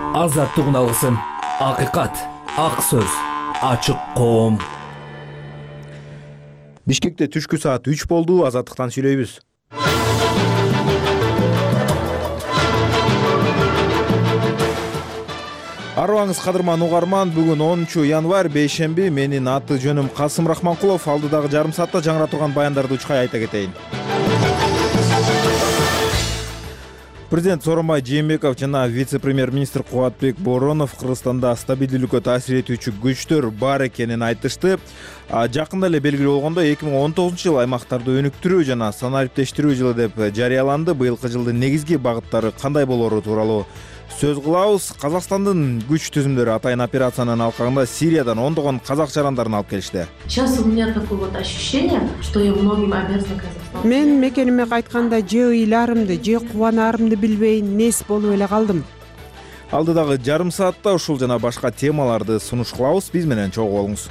Азаттык алгысын, акыйкат, ак сөз, ачык коом. Бишкекте түшкү саат 3 болду. Азаттыктан сүйлөйбүз. Арыбаңыз кадырман угарман, бүгүн 10 январь бейшемби. Менин аты жөнүм Касым Рахманкулов. Алдыдагы жарым саатта жаңыра турган баяндарды учкай айта кетейин. Президент Сооронбай Жээнбеков жана вице-премьер-министр Кубатбек Боронов Кыргызстанда стабилдүүлүккө таасир этүүчү күчтөр бар экенин айтышты. Жакында эле белгилүү болгондой, 2019-жыл аймактарды өнүктүрүү жана санариптештирүү жылы деп жарыяланды. Быйылкы жылдын негизги багыттары кандай болору тууралуу сөз кылабыз. Казакстандын күч түзүмдөрү атайын операциянын алкагында Сириядан ондогон казак жарандарын алып келишти. Сейчас у меня такое вот ощущение, что я многим обязана Казахстану. Мен мекениме кайтканда же ыйлаарымды, же кубанаарымды билбей нес болуп эле калдым. Алдыдагы жарым саатта ушул жана башка темаларды сунуш кылабыз. Биз менен чогуу болуңуз.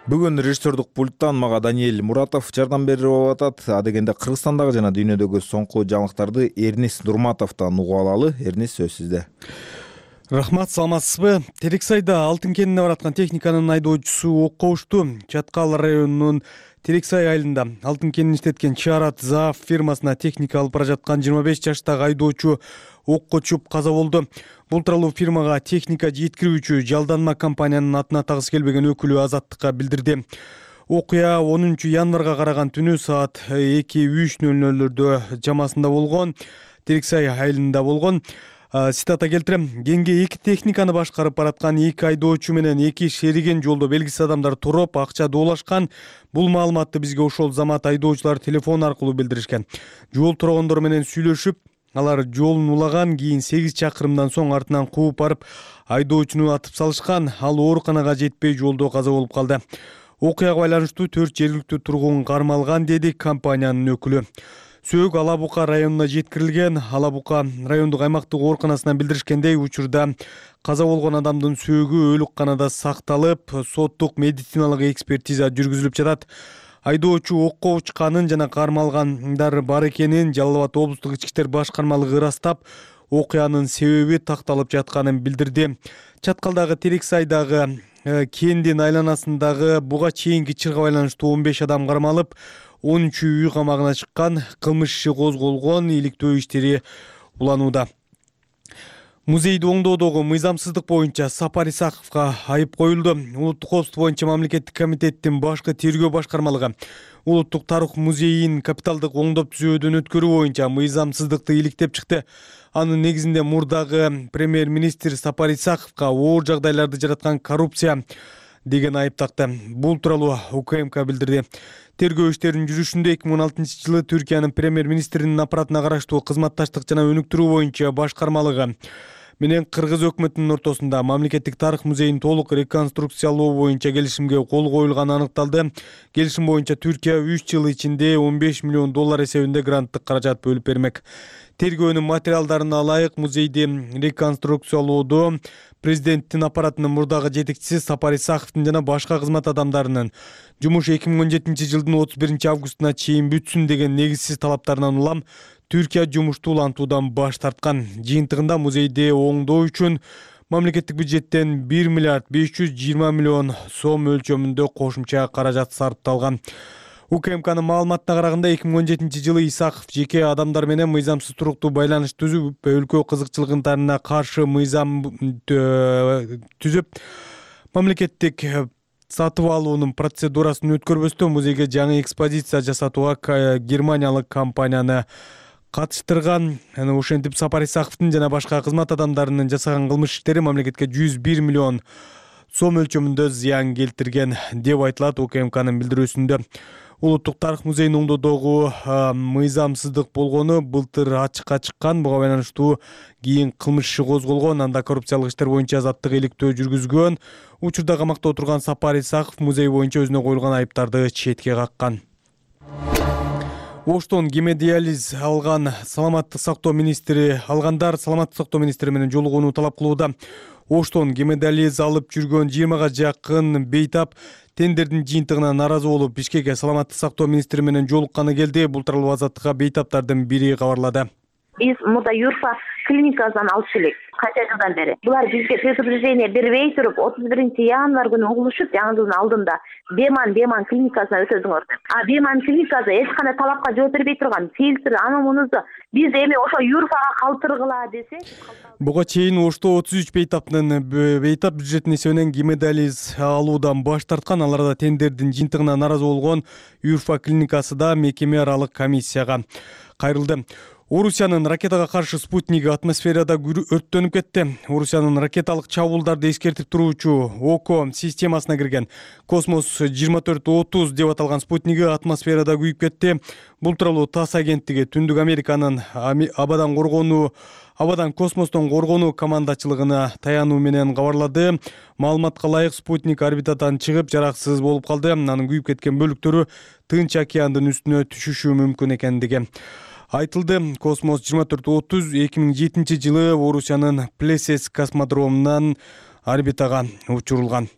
Бүгүн режиссердук пульттан мага Даниэль Муратов жардам берип атат. Адегенде Кыргызстандагы жана дүйнөдөгү соңку жаңылыктарды Эрнис Нурматовдон угуп алалы. Эрнис, сөз сизде. Рахмат, саламатсызбы? Терексайда Алтын кенине бараткан техниканын айдоочусу окко ушту. Чаткал районунун Терексай айылында Алтын кенин иштеткен Чарат Заав фирмасына техника алып бара жаткан 25 жаштагы айдоочу окко чуп каза болду. Бул тууралуу фирмага техника жеткирүүчү жалданма компаниянын атына тагыс келбеген өкүлү Азаттыкка билдирди. Окуя 10 январга караган түнү саат 2:03:00 чамасында болгон. Терексай айылында болгон. Цитата келтирем. Кенге 2 техниканы башкарып бараткан 2 айдоочу менен 2 шериген жолдо белгисиз адамдар туруп, акча доолашкан. Бул маалыматты бизге ошол замат айдоочулар телефон аркылуу билдиришкен. Жол тургондор менен сүйлөшүп, алар жолун улаган, кийин 8 чакырымдан соң артынан кууп барып, айдоочуну атып салышкан. Ал ооруканага жетпей жолдо каза болуп калды. Окуяга байланыштуу 4 жергиликтүү тургун кармалган, деди компаниянын өкүлү. Сөөк Алабука районуна жеткирилген. Алабука райондук аймактык ооруканасынан билдиришкендей, учурда каза болгон адамдын сөөгү өлүкканада сакталып, соттук медициналык экспертиза жүргүзүлүп жатат. Айдоочу окко учканын жана кармалгандар бар экенин Жалал Абад облустук ички иштер башкармалыгы ырастап, окуянын себеби такталып жатканын билдирди. Чаткалдагы Терексайдагы кендин айланасындагы буга чейинки чырга байланыштуу 15 адам кармалып, 13 үй камагына чыккан. Кылмыш иши козголгон, иликтөө иштери уланууда. Музейди оңдоодогу мыйзамсыздык боюнча Сапар Исаковго айып коюлду. Улуттук коопсуздук боюнча мамлекеттик комитеттин башкы тергөө башкармалыгы Улуттук тарых музейин капиталдык оңдоп түзөөдөн өткөрүү боюнча мыйзамсыздыкты иликтеп чыкты. Анын негизинде мурдагы премьер-министр Сапар Исаковго оор жагдайларды жараткан коррупция деген айып такты. Бул тууралуу УКМК билдирди. Тергөө иштеринин жүрүшүндө 2016-жылы Түркиянын премьер-министринин аппаратына караштуу кызматташтык жана өнүктүрүү боюнча башкармалыгы менен Кыргыз өкмөтүнүн ортосунда мамлекеттик тарых музейин толук реконструкциялоо боюнча келишимге кол коюлганы аныкталды. Келишим боюнча Түркия 3 жыл ичинде $15 миллион эсебинде гранттык каражат бөлүп бермек. Тергөөнүн материалдарына ылайык музейди реконструкциялоодо президенттин аппаратынын мурдагы жетекчиси Сапар Исаковдун жана башка кызмат адамдарынын жумуш 2017-жылдын 31-августуна чейин бүтсүн деген негизсиз талаптарынан улам Түркия жумушту улантуудан баш тарткан. Жыйынтыгында музейди оңдоо үчүн мамлекеттик бюджеттен 1 миллиард 520 миллион сом өлчөмүндө кошумча каражат сарпталган. УКМКнын маалыматына караганда 2017-жылы Исаков жеке адамдар менен мыйзамсыз туруктуу байланыш түзүп, өлкө кызыкчылыктарына каршы мыйзам түзүп, мамлекеттик сатып алуунун процедурасын өткөрбөстөн музейге жаңы экспозиция жасатууга германиялык компанияны катыштырган. Ошентип Сапар Исаковдун жана башка кызмат адамдарынын жасаган кылмыш иштери мамлекетке 101 миллион сом өлчөмүндө зыян келтирген деп айтылат УКМКнын билдирүүсүндө. Улуттук тарых музейин оңдоодогу мыйзамсыздык болгону былтыр ачыкка чыккан. Буга байланыштуу кийин кылмыш иши козголгон. Анда коррупциялык иштер боюнча азаттык иликтөө жүргүзгөн. Учурда камакта отурган Сапар Исаков музей боюнча өзүнө коюлган айыптарды четке каккан. Оштон гемодиализ алгандар саламаттык сактоо министри менен жолугууну талап кылууда. Оштон гемодиализ алып жүргөн 20-га жакын бейтап тендердин жыйынтыгына наразы болуп, Бишкекке саламаттык сактоо министри менен жолукканы келди. Бул тууралуу Азаттыкка бейтаптардын бири кабарлады. Биз мурда Юрфа клиникасынан алып келек канча жылдан бери. Булар бизге предупреждение бербей туруп 31-январь күнү угулушуп, жаңы жылдын алдында Беман клиникасына өтөдүңөр деп. Беман клиникасы эч кандай талапка жооп бербей турган. Фильтр, аны мунусу биз эми ошо Юрфага калтыргыла десек. Буга чейин Ошто 33 бейтап бюджеттин эсебинен гемодиализ алуудан баш тарткан, аларда тендердин жыйынтыгына наразы болгон Юрфа клиникасы да мекеме аралык комиссияга кайрылды. Орусиянын ракетага каршы спутниги атмосферада өрттөнүп кетти. Орусиянын ракеталык чабуулдарды эскертип туруучу ОКО системасына кирген Космос 2430 деп аталган спутниги атмосферада күйүп кетти. Бул тууралуу ТАСС агенттиги Түндүк Американын абадан космостон коргонуу командачылыгына таянуу менен кабарлады. Маалыматка ылайык, спутник орбитадан чыгып жараксыз болуп калды. Анын күйүп кеткен бөлүктөрү Тынч океандын үстүнө түшүшү мүмкүн экендиги айтылды. Космос 2430 2007 жылы Орусиянын Плесец космодромунан орбитага учурулган.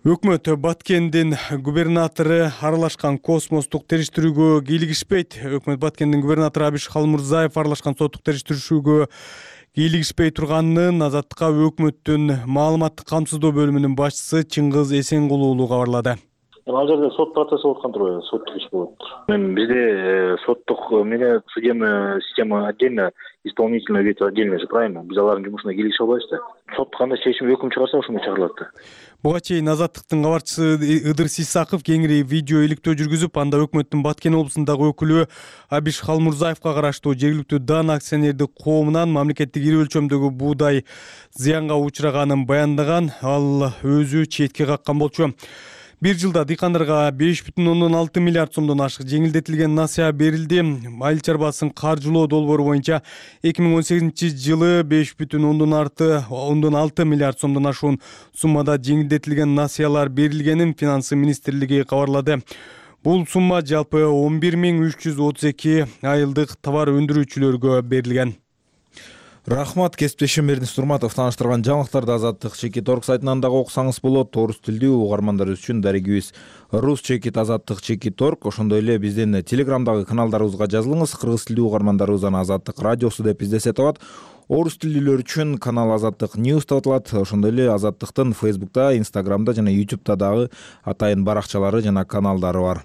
Өкмөт Баткендин губернатору аралашкан космостук териштирүүгө кийлигишпейт. Өкмөт Баткендин губернатору Абиш Халмурзаев аралашкан соттук териштирүүгө кийлигишпей турганын Азаттыкка өкмөттүн маалыматтык камсыздоо бөлүмүнүн башчысы Чыңгыз Эсенгул уулу кабарлады. Ал жерде сот процесси болуп аткан турбайбы? Соттук иш болот. Бизде соттук система отдельно, исполнительная ветвь отдельно, правильно? Биз алардын жумушуна кийлигише албайбыз да. Сот кандай чечим, өкүм чыгарса ошондой чыгарылат да. Буга чейин Азаттыктын кабарчысы Ыдыр Сисаков кеңири видео иликтөө жүргүзүп, анда өкмөттүн Баткен облусундагы өкүлү Абиш Халмурзаевка караштуу жергиликтүү дан акционердик коомунан мамлекеттик ири өлчөмдөгү буудай зыянга учураганын баяндаган. Ал өзү четке каккан болчу. Bir жылда дыйкандарга 5,6 миллиард сомдон ашык жеңилдетилген насыя берилди. Айыл чарбасын каржылоо долбоору боюнча 2018 жылы 5,6 миллиард сомдон ашуун суммада жеңилдетилген насыялар берилгенин Финансы министрлиги кабарлады. Бул сумма жалпы 11.332 айылдык товар өндүрүүчүлөргө берилген. Рахмат, кесиптешим Эрдинис Турматов тааныштырган жаңылыктарды Азаттык Чекит Орг сайтынан дагы окусаңыз болот. Орус тилдүү угармандарыбыз үчүн дарегибиз Рус Чекит Азаттык Чекит Орг. Ошондой эле биздин Телеграмдагы каналдарыбызга жазылыңыз. Кыргыз тилдүү угармандарыбыз Азаттык радиосу деп издесе табат. Орус тилдүүлөр үчүн канал Азаттык News деп аталат. Ошондой эле Азаттыктын Facebook'та, Instagram'да жана YouTube'да дагы атайын баракчалары жана каналдары бар.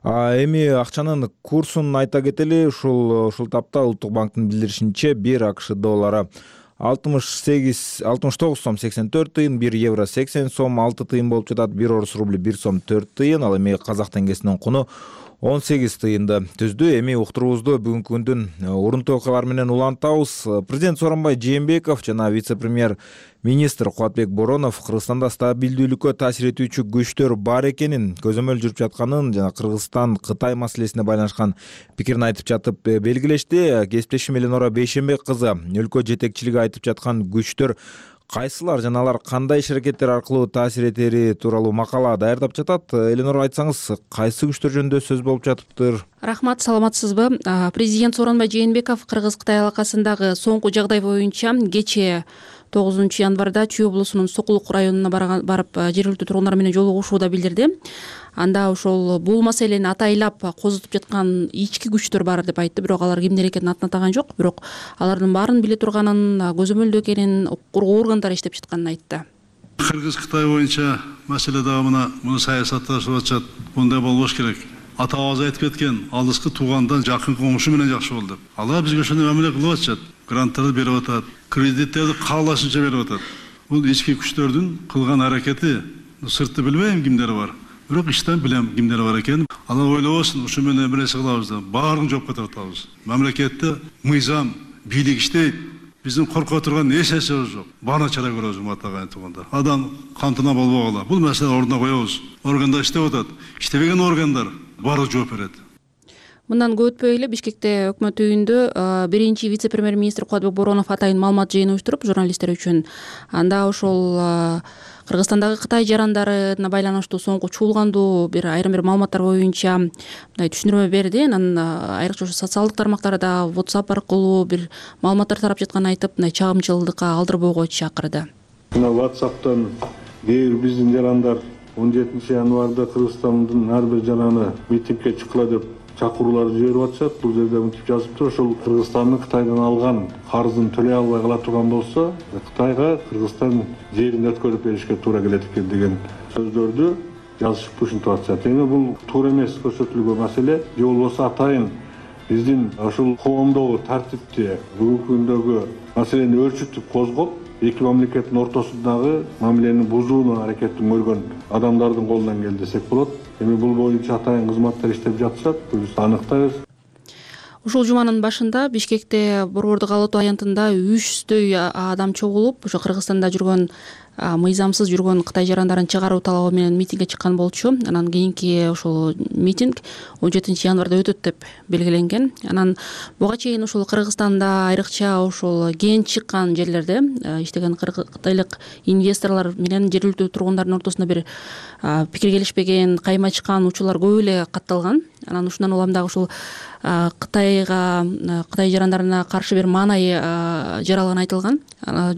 Эми акчанын курсун айта кетели. Ушул тапта Улуттук банктын билдиришинче 1 АКШ доллары 69 сом 84 тыйын, 1 евро 80 сом 6 тыйын болуп жатат, 1 орус рубли 1 сом 4 тыйын. Ал эми казак теңгесинин куну 18 тыйынды түздү. Эми уктуруубузду бүгүнкү күндүн урунтуу окуялары менен улантабыз. Президент Сооронбай Жээнбеков жана вице-премьер министр Кубатбек Боронов Кыргызстанда стабилдүүлүккө таасир этүүчү күчтөр бар экенин, көзөмөл жүрүп жатканын жана Кыргызстан Кытай маселесине байланышкан пикирин айтып жатып белгилешти. Кесиптешим Эленора Бейшенбек кызы өлкө жетекчилиги айтып жаткан күчтөр кайсылар жана алар кандай иш-аракеттер аркылуу таасир этери тууралуу макала даярдап жатат. Эленора, айтсаңыз, кайсы күчтөр жөнүндө сөз болуп жатыптыр? Рахмат, саламатсызбы? Президент Сооронбай Жээнбеков Кыргыз-Кытай алакасындагы соңку жагдай боюнча кечээ 9 январда Чүй облусунун Сокулук районуна барып жергиликтүү тургундар менен жолугушууда билдирди. Анда ошол бул маселени атайлап козутуп жаткан ички күчтөр бар деп айтты. Бирок алар кимдер экенин ататаган жок. Бирок алардын баарын биле турганын, көзөмөлдөө экенин, укук органдары иштеп жатканын айтты. Кыргыз-Кытай боюнча маселе дагы муну саясатташып атышат. Мындай болбош керек. Ата-бабабыз айтып кеткен, алыскы туугандан жакын комушу менен жакшы бол деп. Алар бизге ошондой мамиле кылып атышат. Гранттарды берип атат, кредиттерди каалашынча берип атат. Бул ички күчтөрдүн кылган аракети, сыртты билбейм кимдери бар. Бирок иштен билем кимдери бар экенин. Алар ойлобосун, ушу менен эмнеси кылабыз деп, баарын жоопко тартабыз. Мамлекетте мыйзам, бийлик иштейт. Биздин корко турган эч нерсебиз жок. Баарын чара көрөбүз, атаган туугандар. Адам кантына болбогула. Бул маселе ордуна коебуз. Органдар иштеп атат. Иштебеген органдар баары жооп берет. Мындан көп өтпөй эле Бишкекте өкмөт үйүндө биринчи вице-премьер-министр Кубатбек Боронов атайын маалымат жыйыны уюштуруп журналисттер үчүн. Анда ошол Кыргызстандагы Кытай жарандарына байланыштуу соңку чуулгандуу айрым бир маалыматтар боюнча мындай түшүндүрмө берди. Анан айрыкча ошо социалдык тармактарда WhatsApp аркылуу бир маалыматтар тарап жатканын айтып, мындай чагымчылыкка алдырбоого чакырды. Мына WhatsApp'тан кээ бир биздин жарандар 17 январда Кыргызстандын ар бир жанагы митингге чыккыла деп чакыруулар жиберип атышат. Бул жерде мынтип жазыптыр: ошол Кыргызстандын Кытайдан алган карызын төлөй албай кала турган болсо, Кытайга Кыргызстан жерин өткөрүп беришке туура келет экен деген сөздөрдү жазышып ушинтип атышат. Эми бул туура эмес көрсөтүлгөн маселе. Же болбосо атайын биздин ошол коомдогу тартипти, бүгүнкү күндөгү маселени өөрчүтүп козгоп, эки мамлекеттин ортосундагы мамилени бузууну аракетин көргөн адамдардын колунан келди десек болот. Эми бул боюнча атайын кызматтар иштеп жатышат, биз аныктайбыз. Ушул жуманын башында Бишкекте борбордук ала отоо аянтында 300дөй адам чогулуп, ошо Кыргызстанда жүргөн мыйзамсыз жүргөн Кытай жарандарын чыгаруу талабы менен митингге чыккан болчу. Анан кийинки ошол митинг 17 январда өтөт деп белгиленген. Анан буга чейин ушул Кыргызстанда айрыкча ошол кен чыккан жерлерде иштеген кытайлык инвесторлор менен жергиликтүү тургундардын ортосунда бир пикир келишпеген, кайма чыккан учурлар көп эле катталган. Анан ушундан улам дагы ушул Кытай жарандарына каршы бир маанай жаралганы айтылган.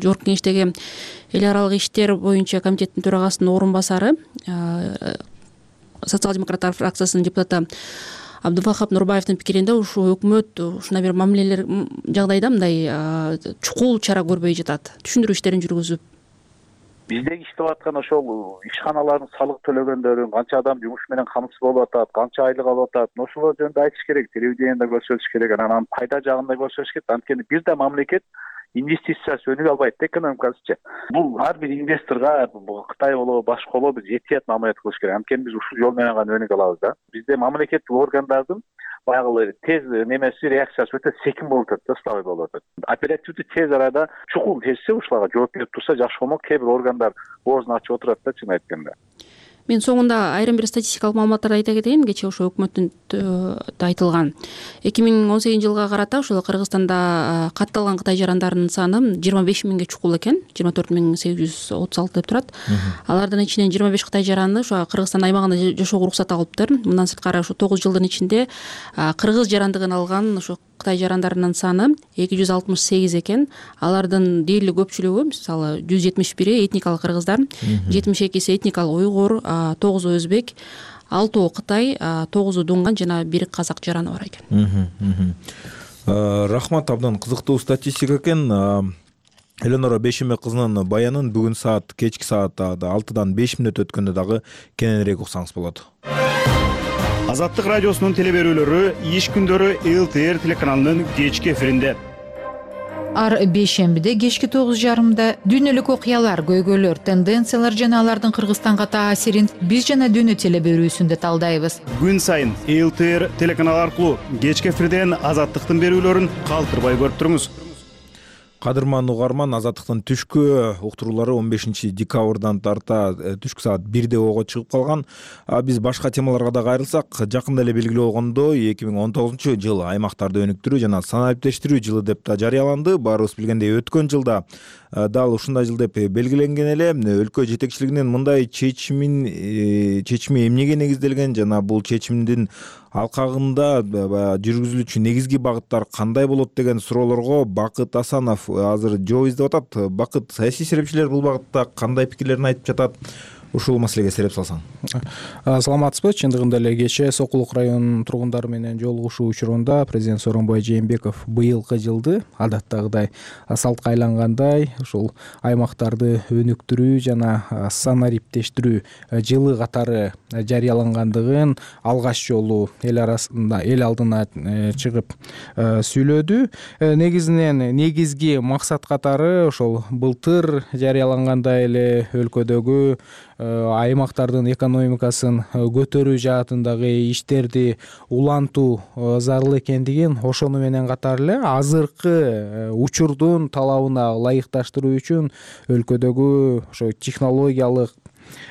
Жогорку кеңештеги эл аралык иштер боюнча комитеттин төрагасынын орун басары, социал-демократтар фракциясынын депутаты Абдувахап Нурбаевдин пикиринде ушул өкмөт ушундай бир мамилелер жагдайда мындай чукул чара көрбөй жатат. Түшүндүрүү иштерин жүргүзүп, биздеги иштеп аткан ошол ишканалардын салык төлөгөндөрүн, канча адам жумуш менен камсыз болуп атат, канча айлык алып атат, ошолор жөнүндө айтыш керек, телевидениеде көрсөтүш керек, анан пайда жагында көрсөтүш керек. Анткени бир да мамлекет инвестициясы өнүгө албайт, экономикасычы. Бул ар бир инвесторго, Кытай болобу, башка болобу, биз этият мамиле кылыш керек. Анткени биз ушул жол менен гана өнүгө алабыз да. Бизде мамлекеттик органдардын баягы тез немеси, реакциясы өтө секин болуп атат, ставый болуп атат. Оперативдүү тез арада чукул чечсе, ушуларга жооп берип турса жакшы болмок. Кээ бир органдар оозун ачып отурат да, чын айтканда. Мен соңунда айрым бир статистикалык маалыматтарды айта кетейин. Кечээ ошо өкмөттүн айтылган 2018 жылга карата ошол Кыргызстанда катталган Кытай жарандарынын саны 25 миңге чукул экен. 24.836 деп турат. Алардын ичинен 25 Кытай жараны ошо Кыргызстан аймагында жашоого уруксат алыптыр. Мындан сырткары ошо 9 жылдын ичинде кыргыз жарандыгын алган ошо Кытай жарандарынын саны 268 экен. Алардын дээрлик көпчүлүгү, мисалы 171 этникалык кыргыздар, 72 этникалык уйгур, 9 өзбек, 6 Кытай, 9 дунган жана 1 казак жараны бар экен. Рахмат, абдан кызыктуу статистика экен. Эленора Бешембек кызынын баянын бүгүн кечки саат 6-дан 5 мүнөт өткөндө дагы кененирээк уксаңыз болот. Азаттык радиосунун телеберүүлөрү иш күндөрү ЛТР телеканалынын кечки эфиринде. Ар бейшембиде кечки 9:30 дүйнөлүк окуялар, көйгөйлөр, тенденциялар жана алардын Кыргызстанга таасирин биз жана дүйнө телеберүүсүндө талдайбыз. Күн сайын ЛТР телеканалы аркылуу кечки эфирден Азаттыктын берүүлөрүн калтырбай көрүп туруңуз. Кадырман угарман, Азаттыктын түшкү уктуруулары 15 декабрдан тарта түшкү саат 1де ого чыгып калган. Биз башка темаларга да кайрылсак, жакында эле белгилүү болгондой 2019 жыл аймактарды өнүктүрүү жана санариптештирүү жылы деп да жарыяланды. Баарыбыз билгендей, өткөн жылда дал ушундай жыл деп белгиленген эле. Өлкө жетекчилигинин мындай чечими эмнеге негизделген жана бул чечимдин алкагында жүргүзүлүүчү негизги багыттар кандай болот деген суроолорго Бакыт Асанов азыр жооп издеп атат. Бакыт, саясий серепчилер бул багытта кандай пикирлерин айтып жатат? Ушул маселеге сереп салсаң. Саламатсызбы? Чындыгында эле кечээ Сокулук районунун тургундары менен жолугушуу учурунда президент Сооронбай Жээнбеков быйылкы жылды адаттагыдай салтка айлангандай ушул аймактарды өнүктүрүү жана санариптештирүү жылы катары жарыялангандыгын алгач жолу эл арасында, эл алдына чыгып сүйлөдү. Негизинен негизги максат катары ошол былтыр жарыялангандай эле өлкөдөгү аймактардын экономикасын көтөрүү жаатындагы иштерди улантуу зарыл экендигин, ошону менен катар эле азыркы учурдун талабына ылайыкташтыруу үчүн өлкөдөгү ошо технологиялык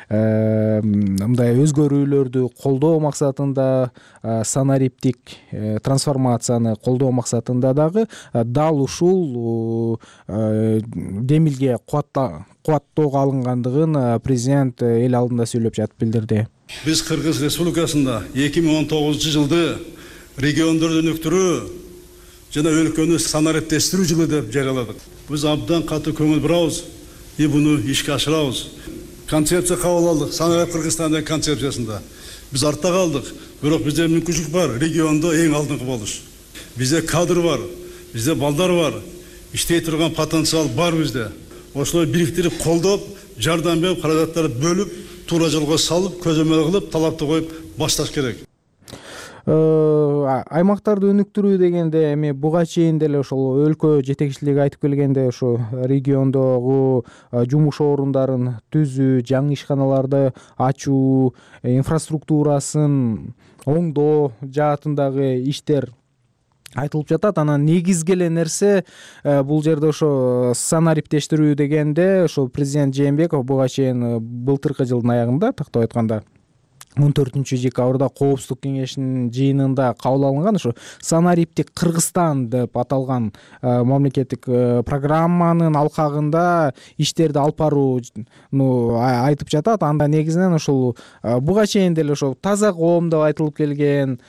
мындай өзгөрүүлөрдү колдоо максатында, санариптик трансформацияны колдоо максатында дагы дал ушул демилге кубаттоого алынгандыгын президент эл алдында сүйлөп жатып билдирди. Биз Кыргыз Республикасында 2019 жылды региондорду өнүктүрүү жана өлкөнү санариптештирүү жылы деп жарыяладык. Биз абдан катуу көңүл бурабыз и буну ишке ашырабыз. концепция кабыл алдык, Санарип Кыргызстан деген концепциясында. Биз артта калдык, бирок бизде мүмкүнчүлүк бар региондо эң алдыңкы болуш. Бизде кадр бар, бизде балдар бар, иштей турган потенциал бар бизде. Ошолой бириктирип, колдоп, жардам берип, каражаттарды бөлүп, туура жолго салып, көзөмөл кылып, талапты коюп башташ керек. Аймактарды өнүктүрүү дегенде эми буга чейин деле ошол өлкө жетекчилиги айтып келгенде ошо региондогу жумуш орундарын түзүү, жаңы ишканаларды ачуу, инфраструктурасын оңдоо жаатындагы иштер айтылып жатат. Анан негизги эле нерсе бул жерде ошо санариптештирүү дегенде ошо президент Жээнбеков буга чейин былтыркы жылдын аягында, тактап айтканда 14-декабрда Коопсуздук кеңешинин жыйынында кабыл алынган ошо санариптик Кыргызстан деп аталган мамлекеттик программанын алкагында иштерди алып барууну айтып жатат. Анда негизинен ошол буга чейин деле ошо таза коом деп айтылып келген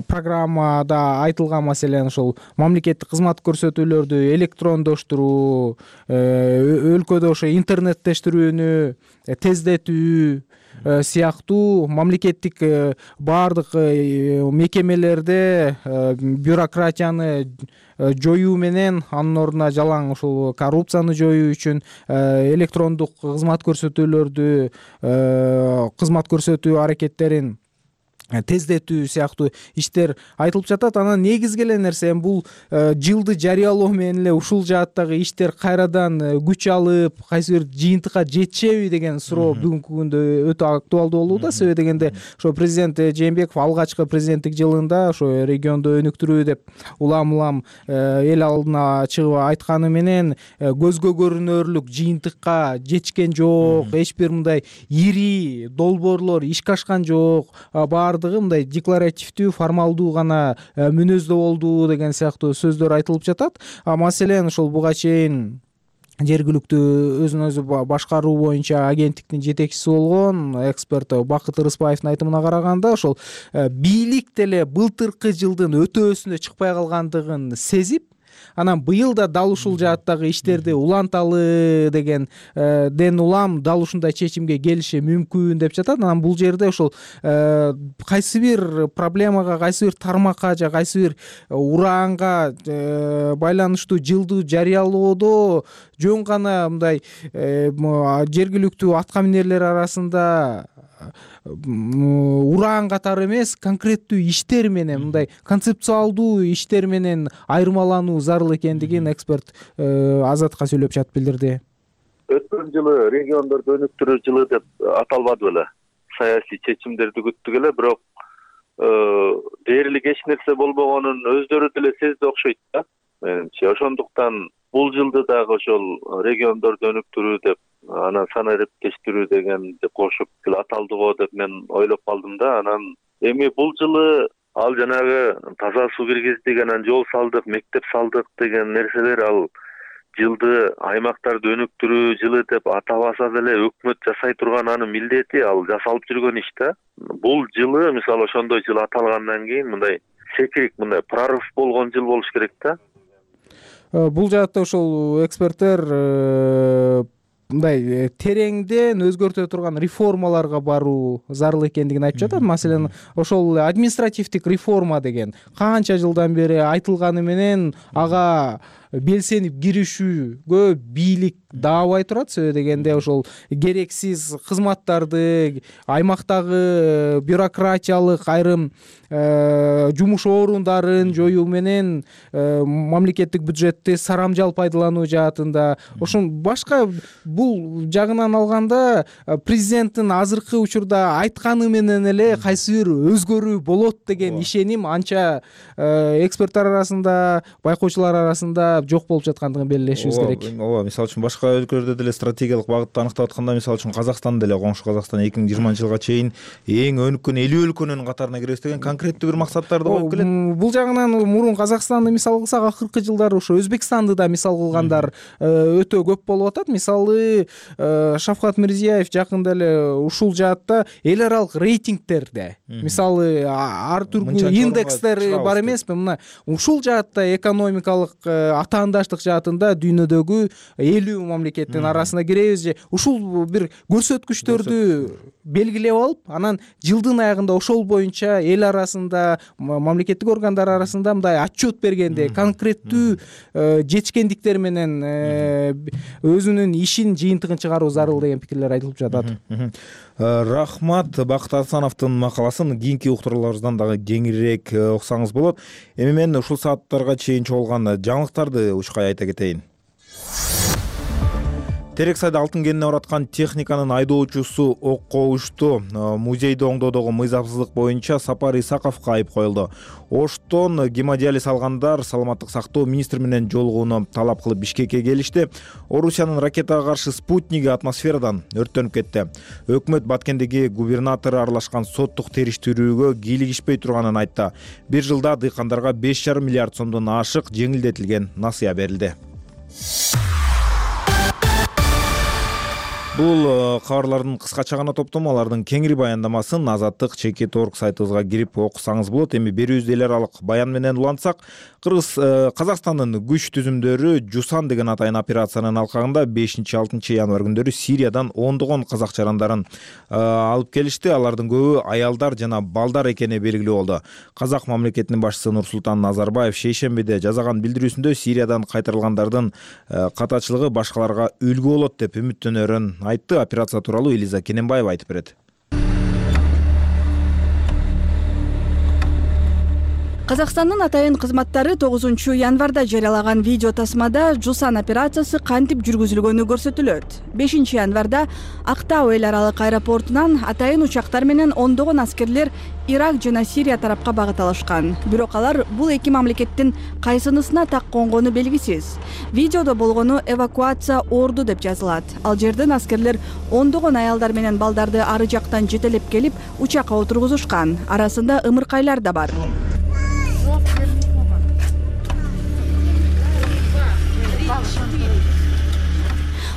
программада айтылган маселен ошол мамлекеттик кызмат көрсөтүүлөрдү электрондоштуруу, өлкөдө ошо интернеттештирүүнү тездетүү сыяктуу мамлекеттик баардык мекемелерде бюрократияны жоюу менен анын ордуна жалаң ушул коррупцияны жоюу үчүн электрондук кызмат көрсөтүү аракеттерин тездетүү сыяктуу иштер айтылып жатат. Анан негизги эле нерсе бул жылды жарыялоо менен эле ушул жааттагы иштер кайрадан күч алып, кайсы бир жыйынтыкка жетишеби деген суроо бүгүнкү күндө өтө актуалдуу болууда. Себеби дегенде ошо президент Жээнбеков алгачкы президенттик жылында ошо регионду өнүктүрүү деп улам эл алдына чыгып айтканы менен көзгө көрүнөрлүк жыйынтыкка жетишкен жок, эч бир мындай ири долбоорлор ишке ашкан жок, мындай декларативдүү, формалдуу гана мүнөздө болду деген сыяктуу сөздөр айтылып жатат. Маселен ошол буга чейин жергиликтүү өзүн өзү башкаруу боюнча агенттиктин жетекчиси болгон эксперт Бакыт Ырыспаевдин айтымына караганда ошол бийлик деле былтыркы жылдын өтөөсүнө чыкпай калгандыгын сезип, анан быйыл да дал ушул жааттагы иштерди уланталы дегенден улам дал ушундай чечимге келиши мүмкүн деп жатат. Анан бул жерде ошол кайсы бир проблемага, кайсы бир тармакка же кайсы бир ураанга байланыштуу жылды жарыялоодо жөн гана мындай жергиликтүү аткаминерлер арасында ураан катары эмес, конкреттүү иштер менен, мындай концепциалдуу иштер менен айырмалануу зарыл экендигин эксперт Азатка сүйлөп жатып билдирди. Өткөн жылы региондорду өнүктүрүү жылы деп аталбады беле. Саясий чечимдерди күттүк эле, бирок дээрлик эч нерсе болбогонун өздөрү деле сезди окшойт да. Менимче ошондуктан бул жылды дагы ошол региондорду өнүктүрүү деп, анан санариптештирүү дегенди кошуп аталды го деп мен ойлоп калдым да. Анан эми бул жылы ал жанагы таза суу киргиздик, анан жол салдык, мектеп салдык деген нерселер ал жылды аймактарды өнүктүрүү жылы деп атабаса деле өкмөт жасай турган анын милдети, ал жасалып жүргөн иш да. Бул жылы мисалы ошондой жыл аталгандан кийин мындай секирик, мындай прорыв болгон жыл болуш керек да. Бул жаатта ошол эксперттер мындай тереңден өзгөртө турган реформаларга баруу зарыл экендигин айтып жатат. Маселен, ошол административдик реформа деген канча жылдан бери айтылганы менен ага белсенип киришүүгө бийлик даабай турат. Себеби дегенде ошол керексиз кызматтарды, аймактагы бюрократиялык айрым жумуш орундарын жоюу менен мамлекеттик бюджетти сарамжал пайдалануу жаатында ошон башка бул жагынан алганда президенттин азыркы учурда айтканы менен эле кайсы бир өзгөрүү болот деген ишеним анча эксперттер арасында, байкоочулар арасында жок болуп жаткандыгын белгилешибиз керек. Ооба, мисалы үчүн башка өлкөлөрдө деле стратегиялык багытты аныктап атканда, мисалы үчүн Казакстан деле, коңшу Казакстан 2020 жылга чейин эң өнүккөн 50 өлкөнүн катарына киребиз деген конкреттүү бир максаттарды коюп келет. Бул жагынан мурун Казакстанды мисал кылсак, акыркы жылдары ошо Өзбекстанды да мисал кылгандар өтө көп болуп атат. Мисалы Шавкат Мирзиёев жакында эле ушул жаатта эл аралык рейтингтерде, мисалы ар түрдүү индекстер бар эмеспи, мына ушул жаатта экономикалык атаандаштык жаатында дүйнөдөгү 50 мамлекеттин арасына киребиз же ушул бир көрсөткүчтөрдү белгилеп алып, анан жылдын аягында ошол боюнча эл арасында, мамлекеттик органдар арасында мындай отчет бергенде конкреттүү жетишкендиктер менен өзүнүн ишин жыйынтыгын чыгаруу зарыл деген пикирлер айтылып жатат. Рахмат. Бакыт Асановдун макаласын кийинки уктурууларыбыздан дагы кеңирээк окусаңыз болот. Эми мен ушул сааттарга чейин чогулган жаңылыктарды учкай айта кетейин. Терексайда алтын кенине бараткан техниканын айдоочусу окко ушту. Музейди оңдоодогу мыйзамсыздык боюнча Сапар Исаковго айып коюлду. Оштон гемодиализ алгандар саламаттык сактоо министри менен жолугууну талап кылып Бишкекке келишти. Орусиянын ракетага каршы спутниги атмосферадан өрттөнүп кетти. Өкмөт Баткендеги губернатору аралашкан соттук териштирүүгө кийлигишпей турганын айтты. Бир жылда дыйкандарга 5,5 миллиард сомдон ашык жеңилдетилген насыя берилди. Бул кабарлардын кыскача гана топтому, алардын кеңири баяндамасын Азаттык Чекит.org сайтыбызга кирип окусаңыз болот. Эми берүүбүздө эл аралык баян менен улантсак, Казакстандын күч түзүмдөрү Жусан деген атайын операциянын алкагында 5-6 январь күндөрү Сириядан ондогон казак жарандарын алып келишти. Алардын көбү аялдар жана балдар экени белгилүү болду. Казак мамлекетинин башчысы Нурсултан Назарбаев шейшембиде жазаган билдирүүсүндө Сириядан кайтарылгандардын катачылыгы башкаларга үлгү болот деп үмүттөнөрүн айтты. Операция тууралуу Элиза Кененбаева айтып берет. Казакстандын атайын кызматтары 9 январда жарыялаган видео тасмада Жусан операциясы кантип жүргүзүлгөнү көрсөтүлөт. 5 январда Актау эл аралык аэропортунан атайын учактар менен ондогон аскерлер Ирак жана Сирия тарапка багыт алышкан. Бирок алар бул эки мамлекеттин кайсынысына так конгону белгисиз. Видеодо болгону эвакуация орду деп жазылат. Ал жерден аскерлер ондогон аялдар менен балдарды ары жактан жетелеп келип учакка отургузушкан. Арасында ымыркайлар да бар.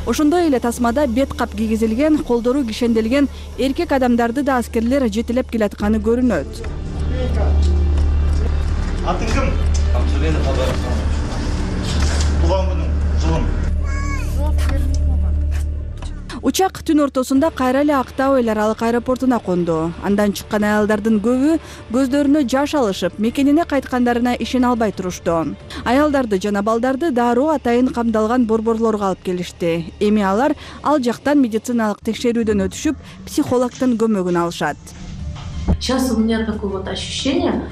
Ошондой эле тасмада бет кап кийгизилген, колдору кишенделген эркек адамдарды да аскерлер жетелеп келатканы көрүнөт. Атың ким? Туган күнүң, жылың. Учак түн ортосунда кайра эле Актау эл аралык аэропортуна конду. Андан чыккан аялдардын көбү көздөрүнө жаш алышып, мекенине кайткандарына ишене албай турушту. Аялдарды жана балдарды дароо атайын камдалган борборлорго алып келишти. Эми алар ал жактан медициналык текшерүүдөн өтүшүп, психологдун көмөгүн алышат. Сейчас у меня такое вот ощущение,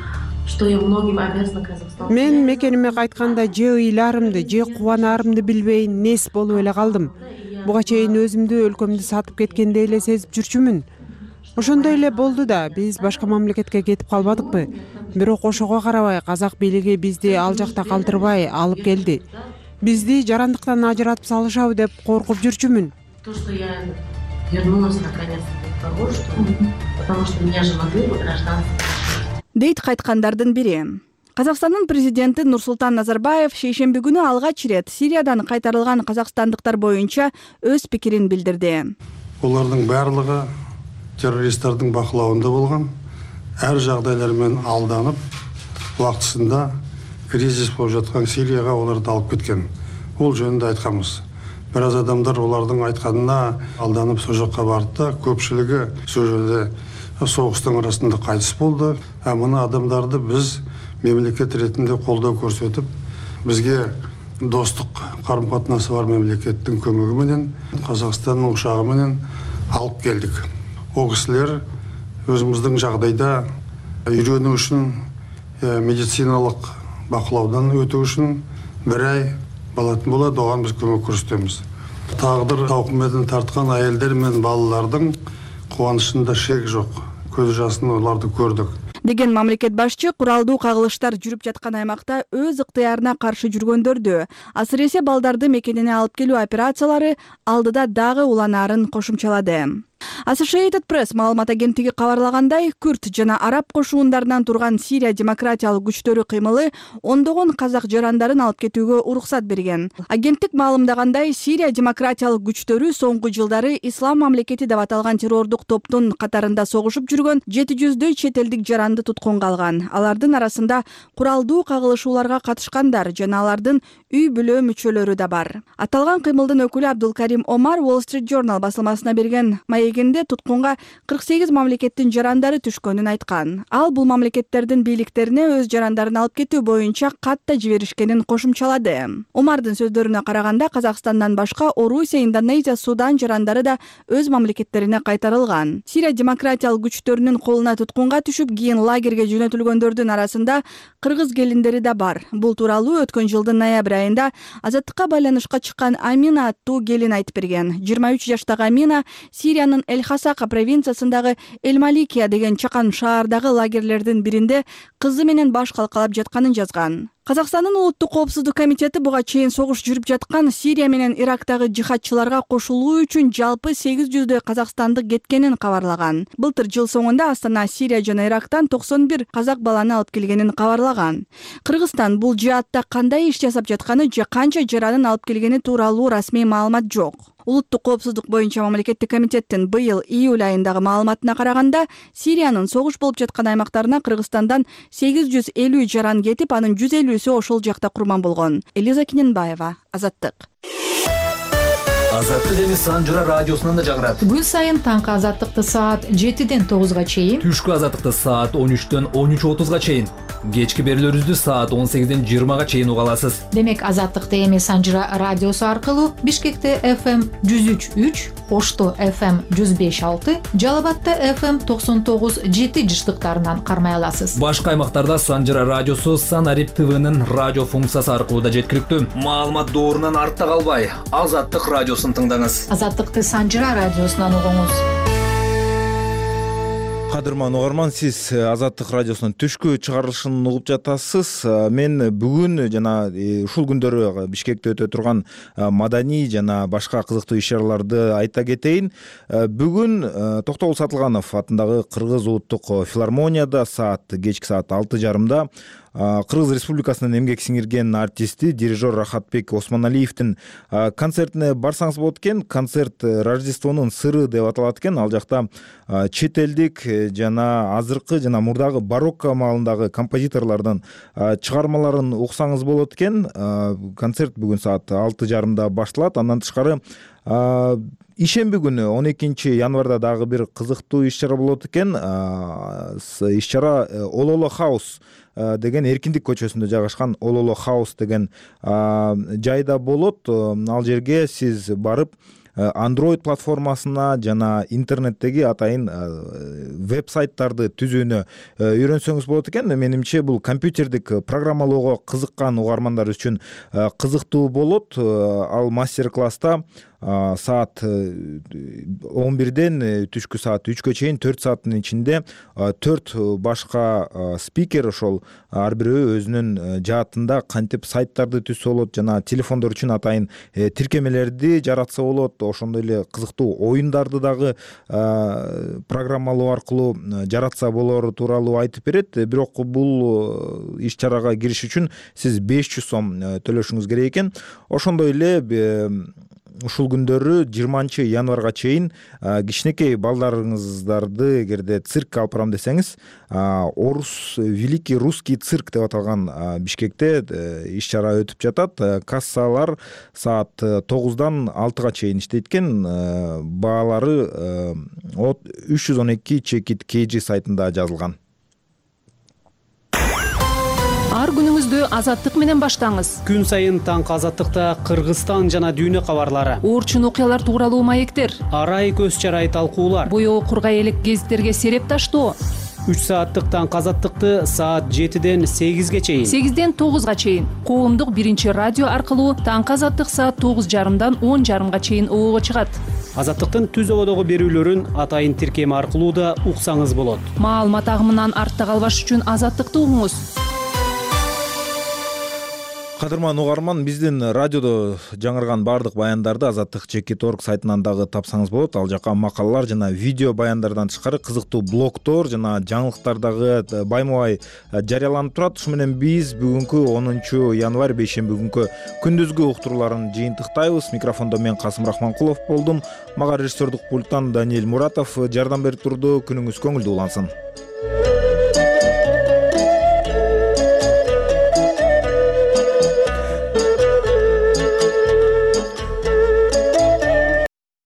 что я многим обязана Казахстану. Мен мекениме кайтканда же ыйлаарымды, же кубанаарымды билбей нес болуп эле калдым. Буга чейин өзүмдү өлкөмдү сатып кеткендей эле сезип жүрчүмүн. Ошондой эле болду да, биз башка мамлекетке кетип калбадыкпы. Бирок ошого карабай казак бийлиги бизди ал жакта калтырбай алып келди. Бизди жарандыктан ажыратып салышабы деп коркуп жүрчүмүн. То, что я вернулась наконец-то до того, потому что меня же могли бы гражданство. Дейт кайткандардын бири. Казакстандын президенти Нурсултан Назарбаев шейшемби күнү алгач ирет Сириядан кайтарылган казакстандыктар боюнча өз пикирин билдирди. Олардын барлыгы террористтердин бакылауында болгон, ар жагдайлар менен алданып, убактысында кризис болуп жаткан Сирияга оларды алып кеткен. Ол жөнүндө айтканбыз. Бир аз адамдар олардын айтканына алданып сол жакка барды да, көпчүлүгү сол жерде согуштун арасында кайтыс болду. Мына адамдарды биз мемлекет ретинде колдоо көрсөтүп, бизге достук карым-катнасы бар мемлекеттин көмөгү менен Казакстандын учагы менен алып келдик. О кишилер өзүбүздүн жагдайда үйрөнүү үчүн, медициналык бакылаудан өтүү үчүн 1 ай болот болот, оған біз көмек көрсөтөбүз. Тагдыр тауқыметін тарткан айелдер мен балалардын кубанычында шек жок. Көз жасын оларды көрдүк. Деген мамлекет башчы куралдуу кагылыштар жүрүп жаткан аймакта өз ыктыярына каршы жүргөндөрдү, асыресе балдарды мекенине алып келүү операциялары алдыда дагы уланаарын кошумчалады. Associated Press маалымат агенттиги кабарлагандай, Күрд жана араб кошуундарынан турган Сирия демократиялык күчтөрү кыймылы ондогон казак жарандарын алып кетүүгө уруксат берген. Агенттик маалымдагандай, Сирия демократиялык күчтөрү соңку жылдары Ислам мамлекети деп аталган террордук топтун катарында согушуп жүргөн 700дөй чет элдик жаранды туткунга алган. Алардын арасында куралдуу кагылышууларга катышкандар жана алардын үй бүлө мүчөлөрү да бар. Аталган кыймылдын өкүлү Абдулкарим Омар Wall Street Journal басылмасына берген маегинде туткунга 48 мамлекеттин жарандары түшкөнүн айткан. Ал бул мамлекеттердин бийликтерине өз жарандарын алып кетүү боюнча катта жиберишкенин кошумчалады. Омардын сөздөрүнө караганда, Казакстандан башка Орусия, Индонезия, Судан жарандары да өз мамлекеттерине кайтарылган. Сирия демократиялык күчтөрүнүн колуна туткунга түшүп, кийин лагерге жөнөтүлгөндөрдүн арасында кыргыз келиндери да бар. Бул тууралуу өткөн жылдын ноябрь айында Азаттыкка байланышка чыккан Амина аттуу келин айтып берген. 23 жаштагы Амина Сириянын Эль-Хасака провинциясындагы Эль-Маликия деген чакан шаардагы лагерлердин биринде кызы менен баш калкалап жатканын жазган. Казакстандын улуттук коопсуздук комитети буга чейин согуш жүрүп жаткан Сирия менен Ирактагы жихадчыларга кошулуу үчүн жалпы 800дөй казакстандык кеткенин кабарлаган. Былтыр жыл соңунда Астана, Сирия жана Ирактан 91 казак баланы алып келгенин кабарлаган. Кыргызстан бул жаатта кандай иш жасап жатканы же канча жаранын алып келгени тууралуу расмий маалымат жок. Улуттук коопсуздук боюнча мамлекеттик комитеттин быйыл июль айындагы маалыматына караганда, Сириянын согуш болуп жаткан аймактарына Кыргызстандан 850 жаран кетип, анын 150сү ошол жакта курман болгон. Элиза Киненбаева, Азаттык. Азаттык эми Санжыра радиосунан да жагырат. Күн сайын таңкы Азаттыкты саат 7ден 9га чейин, түшкү Азаттыкты саат 13дөн 13:30га чейин, кечки берүүлөрүбүздү саат 18ден 20га чейин уга аласыз. Демек Азаттыкты эми Санжыра радиосу аркылуу Бишкекте FM 103.3, Ошто FM 105.6, Жалал-Абадта FM 99.7 жыштыктарынан кармай аласыз. Башка аймактарда Санжыра радиосу Санарип ТВнын радио функциясы аркылуу да жеткиликтүү. Маалымат доорунан артта калбай, Азаттык радиосун тыңдаңыз. Азаттыкты Санжыра радиосунан угуңуз. Кадырман угарман, сиз Азаттык радиосунун түшкү чыгарылышын угуп жатасыз. Мен бүгүн жана ушул күндөрү Бишкекте өтө турган маданий жана башка кызыктуу иш-чараларды айта кетейин. Бүгүн Токтогул Сатылганов атындагы Кыргыз улуттук филармонияда кечки саат 6:30 Кыргыз Республикасынын эмгек сиңирген артисти, дирижер Рахатбек Осмоналиевдин концертине барсаңыз болот экен. Концерт Рождествонун сыры деп аталат экен. Ал жакта чет элдик жана азыркы жана мурдагы барокко маалындагы композиторлордун чыгармаларын уксаңыз болот экен. Концерт бүгүн саат 6:30 башталат. Андан тышкары ишемби күнү 12 январда дагы бир кызыктуу иш-чара болот экен. Иш-чара Ололо Хаус деген Эркиндик көчөсүндө жайгашкан Ололо Хаус деген жайда болот. Ал жерге сиз барып Android платформасына жана интернеттеги атайын веб-сайттарды түзүүнү үйрөнсөңүз болот экен. Менимче бул компьютердик программалоого кызыккан угармандар үчүн кызыктуу болот. Ал мастер-класста саат 11ден түшкү саат 3гө чейин 4 сааттын ичинде 4 башка спикер ошол ар бирөө өзүнүн жаатында кантип сайттарды түзсө болот жана телефондор үчүн атайын тиркемелерди жаратса болот, ошондой эле кызыктуу оюндарды дагы программалоо аркылуу жаратса болору тууралуу айтып берет. Бирок бул иш-чарага кириш үчүн сиз 500 сом төлөшүңүз керек экен. Ошондой эле ушул күндөрү 20 январга чейин кичинекей балдарыңыздарды эгерде циркке алып барам десеңиз, Великий русский цирк деп аталган Бишкекте иш-чара өтүп жатат. Кассалар саат 9дан 6га чейин иштейт экен. Баалары 312 чекит KG сайтында жазылган. Ар күнүңүздү Азаттык менен баштаңыз. Күн сайын таңкы Азаттыкта Кыргызстан жана дүйнө кабарлары, Оорчун окуялар тууралуу маектер, арай көз чарай талкуулар, боёу кургай элек гезиттерге сереп таштоо. 3 сааттык таңкы Азаттыкты саат 7ден 8ге чейин, 8ден 9га чейин коомдук биринчи радио аркылуу таңкы Азаттык саат 9:30дан 10:30га чейин оого чыгат. Азаттыктын түз ободогу берүүлөрүн атайын тиркеми аркылуу да уксаңыз болот. Маалымат агымынан артта калбаш үчүн Азаттыкты угуңуз. Кадырман угарман, биздин радиодо жаңырган баардык баяндарды Азаттык.org сайтынан дагы тапсаңыз болот. Ал жака макалалар жана видео баяндардан тышкары кызыктуу блогдор жана жаңылыктар дагы байма-бай жарыяланып турат. Ушу менен биз бүгүнкү 10 январь бейшемби күнкү күндүзгү уктурууларын жыйынтыктайбыз. Микрофондо мен Касым Рахманкулов болдум. Мага режиссердук пульттан Даниэль Муратов жардам берип турду. Күнүңүз көңүлдүү улансын.